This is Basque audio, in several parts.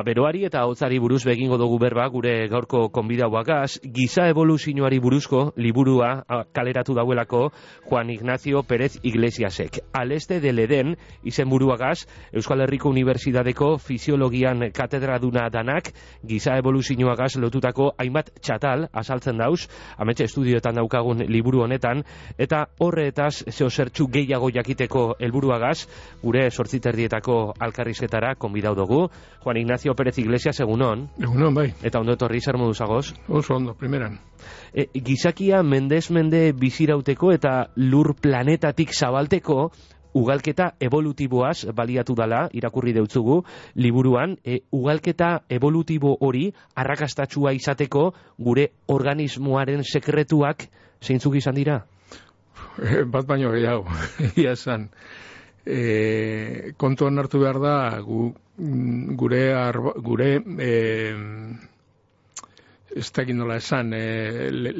Beroari eta hotzari buruz begingo dugu berba gure gaurko konbidauagaz, giza evoluzioari buruzko liburua kaleratu dauelako Juan Ignacio Pérez Iglesiasek. Al este del Eden izenburuagaz, Euskal Herriko Unibertsitateko Fisiologian katedraduna danak, giza evoluzioagaz lotutako hainbat txatal azaltzen dauz, ametxe estudioetan daukagun liburu honetan, eta horretaz zehozertxu gehiago jakiteko helburuagaz, gure 8:30 alkarrizketara konbidau dugu. Juan Ignacio Pérez Iglesias, egunon. Egunon, bai. Eta ondo etorri, zer modu zagoz? Oso ondo, primeran. Gizakia mendez mende bizirauteko eta lur planetatik zabalteko ugalketa evolutiboaz baliatu dala, irakurri deutzugu, liburuan, ugalketa evolutibo hori arrakastatsua izateko gure organismoaren sekretuak zeintzuk izan dira? Bat baino gehiago, egia esan. Kontuan hartu behar da, gure ez dakit nola esan,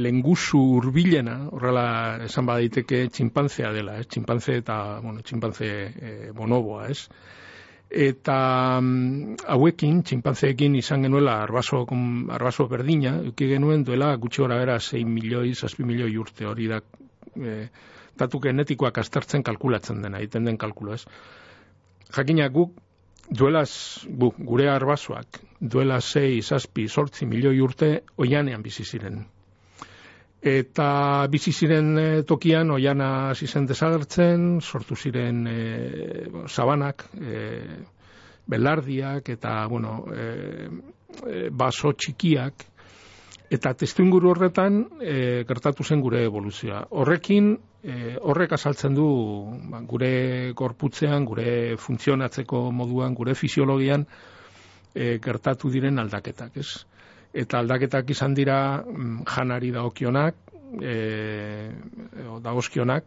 lenguzu hurbilena, horrela esan badaiteke txinpanzea dela, txinpanze eta, txinpanze bonoboa, ez? Eta hauekin, txinpanzeekin izan genuela arbaso berdina, euki genuen duela gutxi gora bera 6 milioi, 7 milioi urte, hori da, datu genetikoak aztertzen kalkulatzen dena, egiten den kalkulu, ez? Jakina gure arbasoak, duela 6, 7, 8 milioi urte oianean bizi ziren. Eta bizi ziren tokian oiana hasi zen desagertzen, sortu ziren sabanak, belardiak eta, baso txikiak, eta testuinguru horretan gertatu zen gure evoluzioa. Horrek azaltzen du gure gorputzean, gure funtzionatzeko moduan, gure fisiologian gertatu diren aldaketak, ez? Eta aldaketak izan dira janari dagozkionak,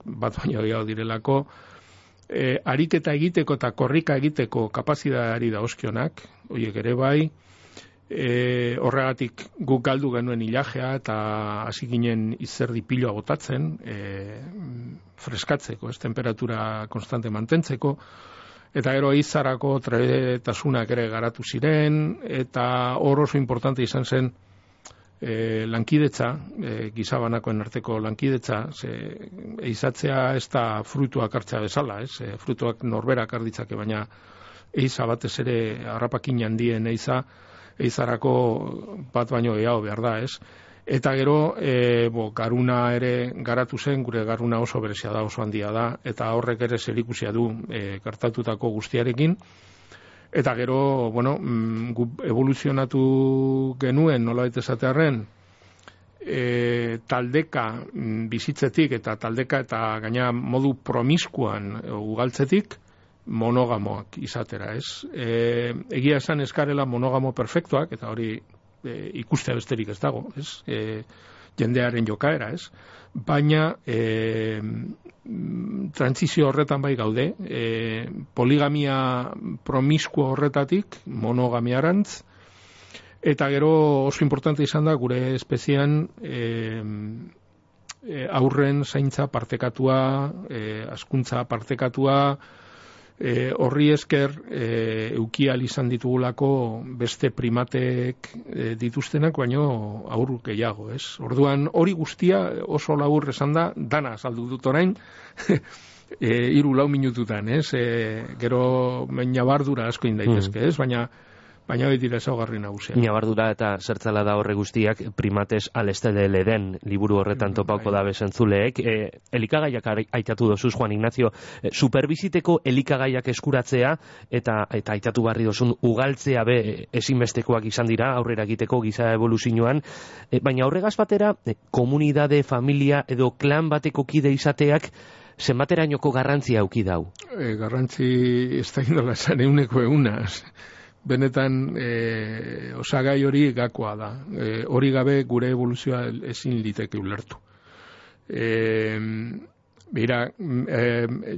bat baino gehiago direlako, ariketa egiteko eta korrika egiteko kapazitateari dagozkionak, horiek ere bai, horregatik guk galdu genuen ilajea eta hasi ginen izerdi piloa botatzen, freskatzeko, temperatura konstante mantentzeko, eta gero izarako trebetasunak ere garatu ziren, eta hor oso importante izan zen lankidetza, gizabanakoen arteko lankidetza, eizatzea ez da fruituak hartzea bezala, fruituak norberak harditzake, baina eiza batez ere harrapakin handien eizarako bat baino gehiago behar da, ez? Eta gero, garuna ere garatu zen, gure garuna oso berezia da, oso handia da, eta horrek ere zerikusia du gertatutako guztiarekin. Eta gero, evoluzionatu genuen, nolabait esatearren, taldeka bizitzetik eta taldeka eta gaina modu promiskuan ugaltzetik, monogamoak izatera, ez? Egia esan eskarela monogamo perfektuak, eta hori ikustea besterik ez dago, ez? Jendearen jokaera, ez? Baina trantsizio horretan bai gaude, poligamia promiskuo horretatik monogamiarantz, eta gero oso importante izan da gure espezian aurren zaintza partekatua, hazkuntza partekatua, horri esker eukial izan ditugulako beste primatek dituztenak, baino aur gehiago, ez? Orduan hori guztia oso labur esan da, dana azaldu dut orain, 3-4 minututan, ez? Gero ñabardura asko indaitezke, ez? Baina hori dira ezaugarri nagusia. Ñabardura eta zertzala da horre guztiak primates al este del Eden liburu horretan topauko da bezentzuleek. Elikagaiak aitatu dozuz, Juan Ignacio, superbiziteko elikagaiak eskuratzea eta aitatu barri dozun ugaltzea ezinbestekoak izan dira aurrera egiteko giza evoluzioan, baina horregaz batera komunidade, familia edo klan bateko kide izateak zenbaterainoko garrantzia auki dau? Garrantzi ez da indola esan 100%. Benetan osagai hori gakoa da. Hori gabe gure evoluzioa ezin liteke ulertu.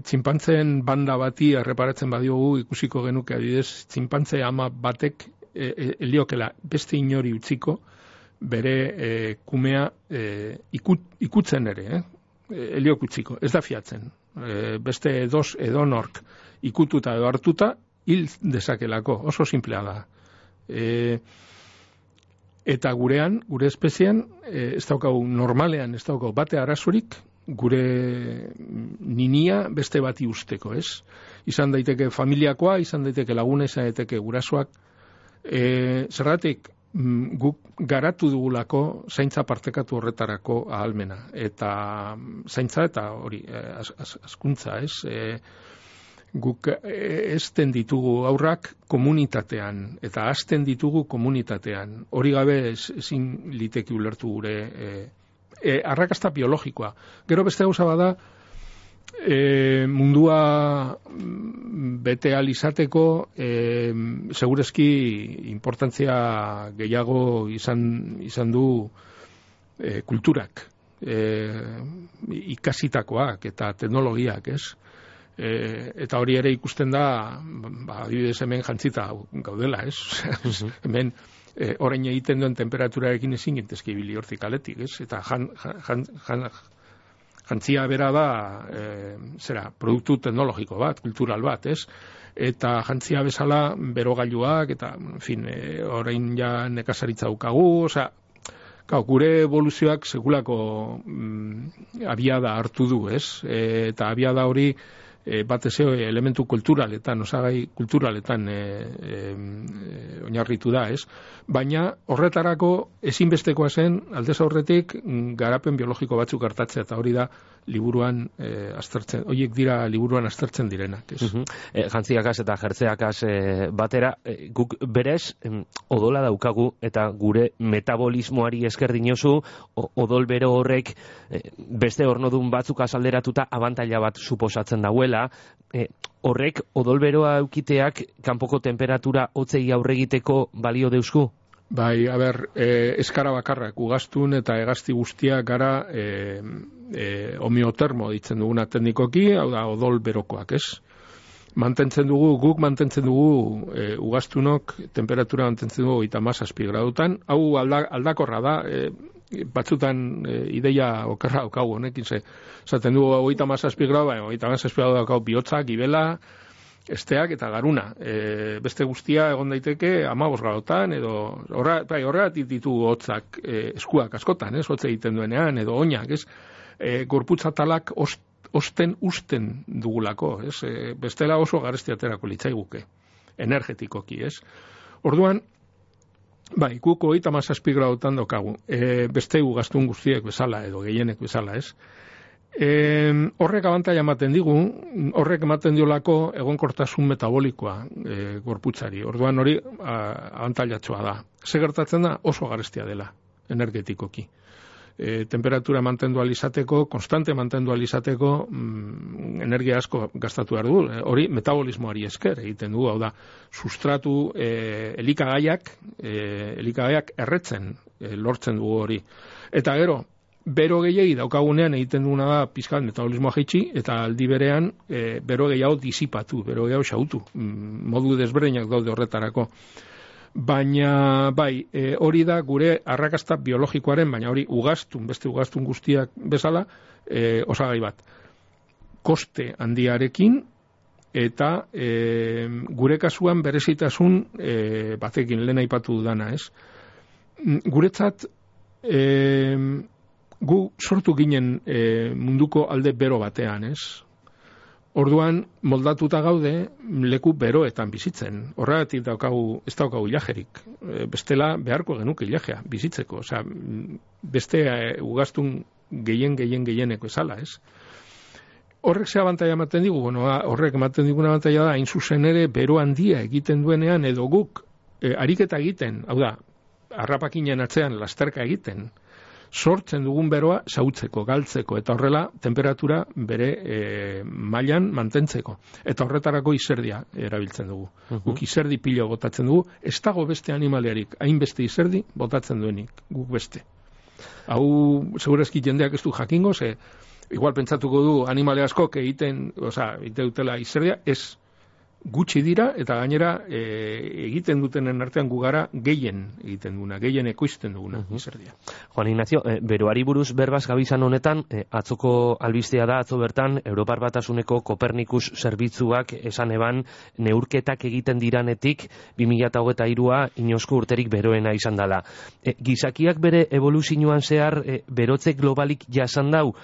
Txinpantzeen banda bati erreparatzen badiogu ikusiko genuke adidez, txinpantze ama batek heliokela beste inori utziko bere kumea ikutzen ere, heliok utziko, ez da fiatzen. Beste edonork ikututa edo hartuta hil dezakelako, oso simplea da. Eta gure espezian, ez daukagu normalean, ez daukagu bate arazorik, gure ninia beste bati usteko, ez? Izan daiteke familiakoa, izan daiteke laguna, izan daiteke gurasoak. Zergatik, guk garatu dugulako zaintza partekatu horretarako ahalmena. Eta zaintza eta hori, askuntza, ez? Guk ezten ditugu aurrak komunitatean, eta azten ditugu komunitatean. Hori gabe ezin liteki ulertu gure arrakasta biologikoa. Gero beste gauza bada, mundua bete ahal izateko, segurezki importantzia gehiago izan du kulturak, ikasitakoak eta teknologiak, ez? Eta hori ere ikusten da, adibidez hemen jantzita gaudela, ez? Hemen orain egiten duen temperaturarekin ezin gintezke ibili hortik aletik, ez? Eta jantzia bera da, produktu teknologiko bat, kultural bat, ez? Eta jantzia bezala berogailuak, eta, en fin, orain ja nekazaritza daukagu, gure evoluzioak sekulako abiada hartu du, ez? Eta abiada hori batez elementu kulturaletan, osagai kulturaletan oinarritu da, ez? Baina horretarako ezinbestekoa zen aldez aurretik garapen biologiko batzuk hartatzea, eta hori da liburuan aztertzen, horiek dira liburuan aztertzen direnak, ez? Jantziakaz eta jertzeakaz batera, guk berez odola daukagu eta gure metabolismoari esker dinozu, odol bero horrek beste ornodun batzuk azalderatuta abantaila bat suposatzen dauela, horrek odolberoa eukiteak kanpoko temperatura hotzei aurre egiteko balio deusku? Bai, eskara bakarrak ugaztun eta hegazti guztiak gara homeotermo ditzen duguna teknikoki, hau da odol berokoak, ez? Guk mantentzen dugu ugaztunok temperatura mantentzen dugu 37 gradutan, hau aldakorra da, batzutan ideia okerra daukagu honekin, esaten dugu 37 gradu, 37 gradu daukagu bihotzak, gibela, esteak eta garuna. Beste guztia egon daiteke 15 gradutan, edo horregatik ditugu hotzak eskuak askotan, ez? Hotze egiten duenean, edo oinak, ez? Gorputzatalak usten dugulako, ez? Bestela oso garesti aterako litzaiguke, energetikoki, ez? Orduan, bai, guk 37 gradutan daukagu, beste ugaztun guztiek bezala, edo gehienek bezala, ez? Horrek abantaila ematen digu, horrek ematen diolako egonkortasun metabolikoa gorputzari. Orduan hori abantailatxoa da. Ze gertatzen da? Oso garestia dela, energetikoki. Temperatura mantendu alizateko, konstante mantendu alizateko, energia asko gastatu behar du. Hori metabolismoari esker egiten du, hau da, sustratu elikagaiak erretzen lortzen dugu hori. Eta gero, bero gehiagi daukagunean egiten duguna da pizkat metabolismoa jaitsi, eta aldi berean bero gehiago disipatu, bero gehiago xautu. Modu desberdinak daude horretarako. Baina, bai, hori da gure arrakasta biologikoaren, baina hori beste ugaztun guztiak bezala, osagai bat. Koste handiarekin, eta gure kasuan berezitasun batekin lehen aipatu dudana, ez? Guretzat, gu sortu ginen munduko alde bero batean, ez? Orduan, moldatuta gaude leku beroetan bizitzen. Horregatik ez daukagu ilajerik. Bestela beharko genuke ilajea bizitzeko. Osea, beste ugaztun gehienek bezala, ez? Horrek ze abantaila ematen digu? Bueno, horrek ematen diguna abantaila da, hain zuzen ere, bero handia egiten duenean, edo guk ariketa egiten, hau da, harrapakinen atzean lasterka egiten, sortzen dugun beroa xautzeko, galtzeko, eta horrela temperatura bere mailan mantentzeko. Eta horretarako izerdia erabiltzen dugu. Guk izerdi pilo botatzen dugu, ez dago beste animaliarik, hainbeste izerdi botatzen duenik, guk beste. Hau, segurazki jendeak ez du jakingo, igual pentsatuko du animale askok egiten dutela izerdia, ez. gutxi dira, eta gainera egiten dutenen artean gugara gehien egiten duguna, gehien ekoizten duguna, izerdia. Juan Ignacio, beroari buruz berbaz gabizan honetan, atzoko albistea da, atzo bertan, Europar Batasuneko Kopernikus zerbitzuak esan eban neurketak egiten diranetik 2023a inoizko urterik beroena izan dela. Gizakiak bere evoluzioan zehar berotze globalik jasan dau,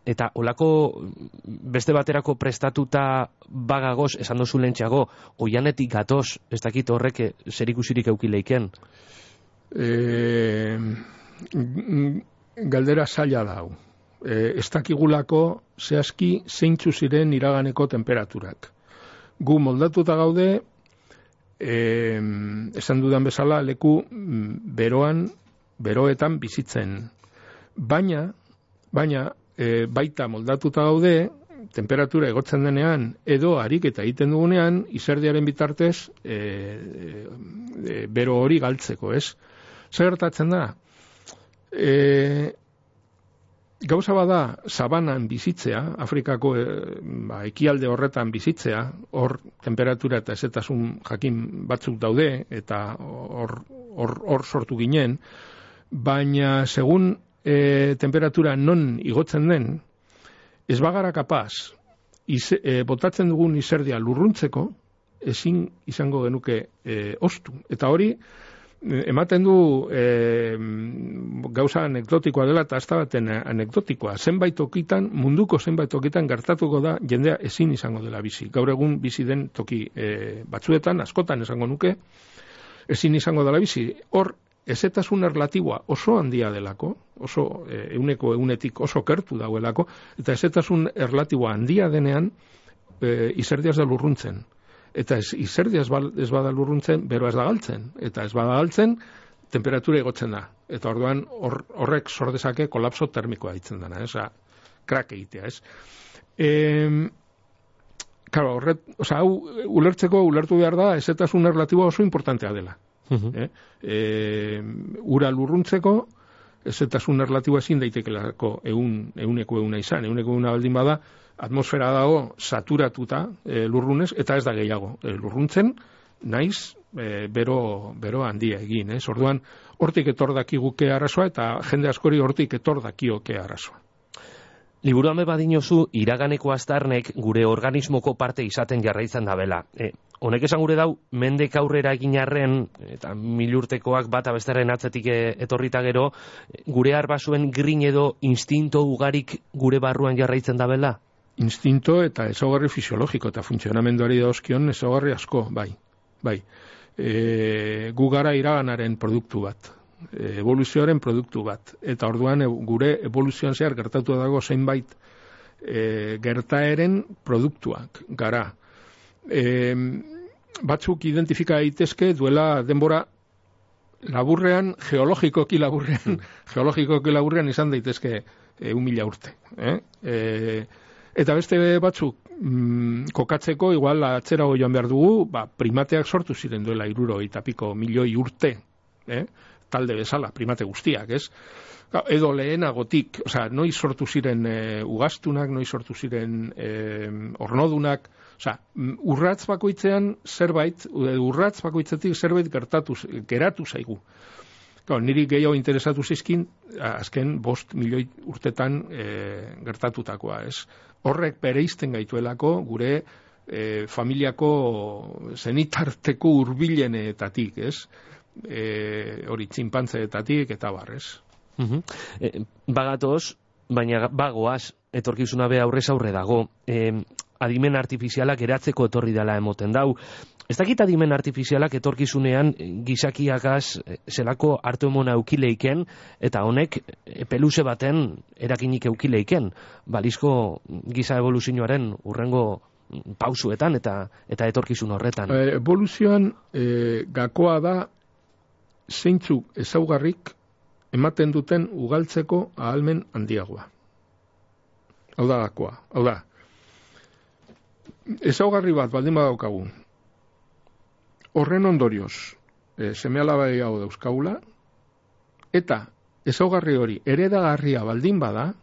eta olako beste baterako prestatuta bagagoz, esan dozu lentxago, oianetik gatoz, ez dakit horrek zerikusirik eukileiken? Galdera zaila dau. Ez dakigulako zehazki zeintzu ziren iraganeko temperaturak. Gu moldatuta gaude, esan dudan bezala, leku beroetan bizitzen. Baina, baita moldatuta gaude, temperatura egotzen denean, edo ariketa egiten dugunean, izerdiaren bitartez, bero hori galtzeko, ez? Zer gertatzen da? Gauza bada, sabanan bizitzea, Afrikako ekialde horretan bizitzea, hor temperatura eta ezetasun jakin batzuk daude, eta hor sortu ginen, baina segun temperatura non igotzen den, ez bagara kapaz, botatzen dugun izerdia lurruntzeko, ezin izango genuke ostu. Eta hori, ematen du gauza anekdotikoa dela, eta ez da baten anekdotikoa. Munduko zenbait tokitan gertatuko da, jendea ezin izango dela bizi. Gaur egun bizi den toki batzuetan, askotan esango nuke, ezin izango dela bizi. Hor, ezetasun erlatiboa oso handia delako, oso egunetik oso kertu dauelako, eta ezetasun erlatiboa handia denean, izerdia ez da lurruntzen. Eta izerdia ez bada lurruntzen, bero ez da galtzen. Eta ez bada galtzen, temperatura igotzen da. Eta orduan horrek sordezake kolapso termikoa ditzen dena, krak egitea, ez? Claro, hau ulertu behar da, ezetasun erlatiboa oso importantea dela. Ura lurruntzeko, ezetasun erlatiboa ezin daitekelako euneko izan. Euneko baldin bada, atmosfera dago saturatuta lurrunez, eta ez da gehiago lurruntzen, naiz bero handia egin. Orduan, hortik etor dakiguke arazoa, eta jende askori hortik etor dakioke arazoa. Liburuan badinozu, iraganeko aztarnek gure organismoko parte izaten jarraitzen dabela. Honek esan gure dau, mendek aurrera egin arren, eta 1000 urtekoak bata bestaren atzetik etorrita gero, gure arbasuen grin edo instinto ugarik gure barruan jarraitzen dabela? Instinto eta ezaugarri fisiologiko eta funtzionamenduari dauzkion ezaugarri asko, bai. Gu gara iraganaren produktu bat, evoluzioaren produktu bat, eta orduan gure evoluzioan zehar gertatu dago zeinbait gertaeren produktuak gara. Batzuk identifika daitezke duela denbora laburrean, geologikoki laburrean izan daitezke 1000 urte. Eta beste batzuk kokatzeko, igual atzerago joan behar dugu, primateak sortu ziren duela 70 milioi urte, talde bezala, primate guztiak, ez? Edo lehenagotik, noiz sortu ziren ugaztunak, noiz sortu ziren ornodunak, urratz bakoitzean zerbait, urratz bakoitzetik zerbait geratu zaigu. Niri gehiago interesatu zizkin, azken 5 milioi urtetan gertatutakoa, ez? Horrek bereizten gaituelako gure familiako zenitarteko hurbilenetatik, ez? Hori txinpantzeetatik eta barrez. Bagatoz, baina bagoaz, etorkizuna be aurrez aurre dago. Adimen artifizialak eratzeko etorri dela emoten dau. Ez dakit adimen artifizialak etorkizunean gizakiagaz zelako hartu emona eukileiken, eta honek peluze baten erakinik eukileiken, balizko giza evoluzioaren urrengo pausuetan eta etorkizun horretan. Evoluzioan gakoa da zeintzuk ezaugarrik ematen duten ugaltzeko ahalmen handiagoa. Hau da gakoa. Hau da, ezaugarri bat baldin badaukagu, horren ondorioz seme-alaba gehiago dauzkagula, eta ezaugarri hori heredagarria baldin bada,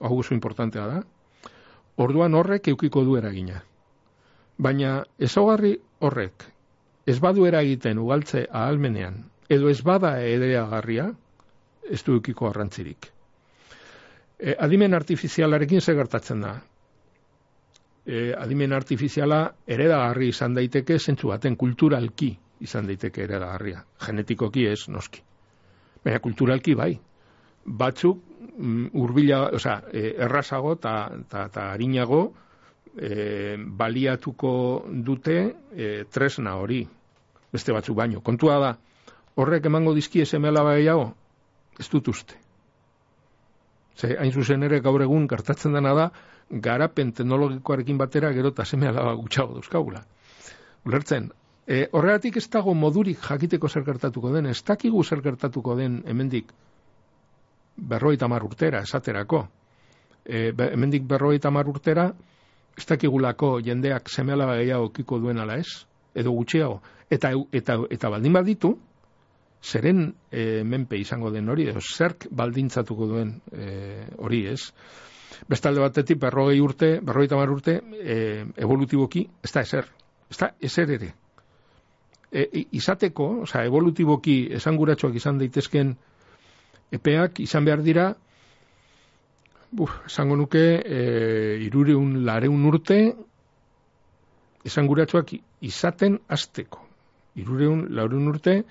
hau oso importantea da, orduan horrek eukiko du eragina. Baina ezaugarri horrek ez badu eragiten ugaltze ahalmenean, edo ez bada ereagarria, ez du edukiko garrantzirik. Adimen artifizialarekin zer gertatzen da? Adimen artifiziala eredagarri izan daiteke, zentzu baten kulturalki izan daiteke eredagarria. Genetikoki ez, noski. Baina kulturalki bai. Batzuk errazago eta arinago baliatuko dute tresna hori. Beste batzuk baino. Kontua da, horrek emango dizkie seme-alaba gehiago? Ez dut uste. Hain zuzen ere gaur egun gertatzen dena da, garapen teknologikoarekin batera gero eta seme-alaba gutxago dauzkagula. Ulertzen, horregatik ez dago modurik jakiteko zer gertatuko den, ez dakigu zer gertatuko den hemendik 50 urtera, esaterako. Hemendik 50 urtera, ez dakigulako jendeak seme-alaba gehiago kiko duen ala ez, edo gutxiago. Eta baldin baditu, zeren menpe izango den hori, edo zerk baldintzatuko duen hori ez. Bestalde batetik, 50 urte, evolutiboki, ez da ezer. Ez da ezer ere. Izateko, evolutiboki esanguratsuak izan daitezken epeak izan behar dira, esango nuke 300 urte esanguratsuak izaten hasteko. 300 urte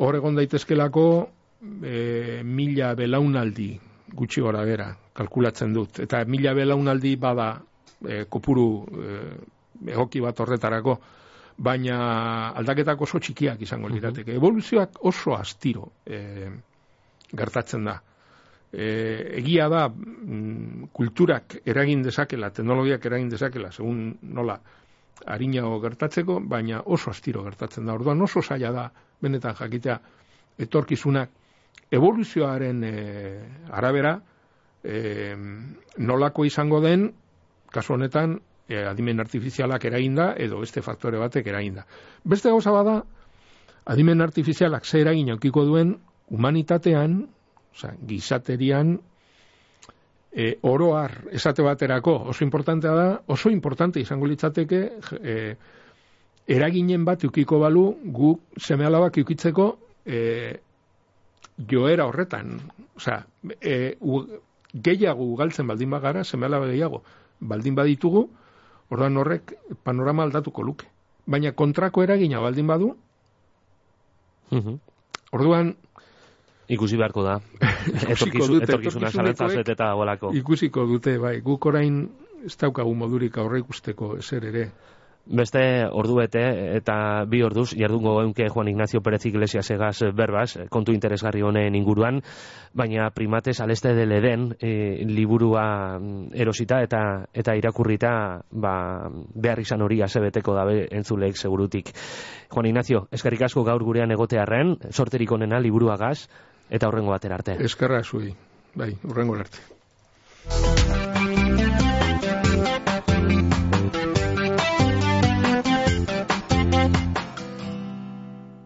hor egon daitezkelako 1000 belaunaldi gutxi gora bera, kalkulatzen dut. Eta 1000 belaunaldi bada kopuru egoki bat horretarako, baina aldaketak oso txikiak izango lirateke. Evoluzioak oso astiro gertatzen da. Egia da kulturak eragin dezakela, teknologiak eragin dezakela, segun nola arinago gertatzeko, baina oso astiro gertatzen da. Orduan oso zaila da, benetan jakitea, etorkizunak evoluzioaren arabera nolako izango den, kasu honetan, adimen artifizialak eraginda, edo beste faktore batek eraginda. Beste gauza bada, adimen artifizialak ze eragin aukiko duen humanitatean, gizaterian, oroar esate baterako oso importantea da, oso importante izango litzateke eraginen bat eukiko balu gu seme-alabak eukitzeko joera horretan. Gehiago galtzen baldin bagara, seme-alaba gehiago baldin baditugu, orduan horrek panorama aldatuko luke. Baina kontrako eragina baldin badu, orduan ikusi beharko da. Etorkizuna zalantzaz beteta dagoelako. Ikusiko dute, bai. Guk orain ez daukagu modurik aurre ikusteko ezer ere. Beste ordubete eta 2 orduz jardungo geunke Juan Ignacio Pérez Iglesias egaz berbaz, kontu interesgarri honen inguruan, baina Primates al este del Edén liburua erosita eta irakurrita behar izan hori azebeteko dabe entzuleek segurutik. Juan Ignacio, eskerrik asko gaur gurean egotearren, sorterik onena liburuagaz, eta hurrengo batera arte. Eskerra zuei, bai, hurrengo arte.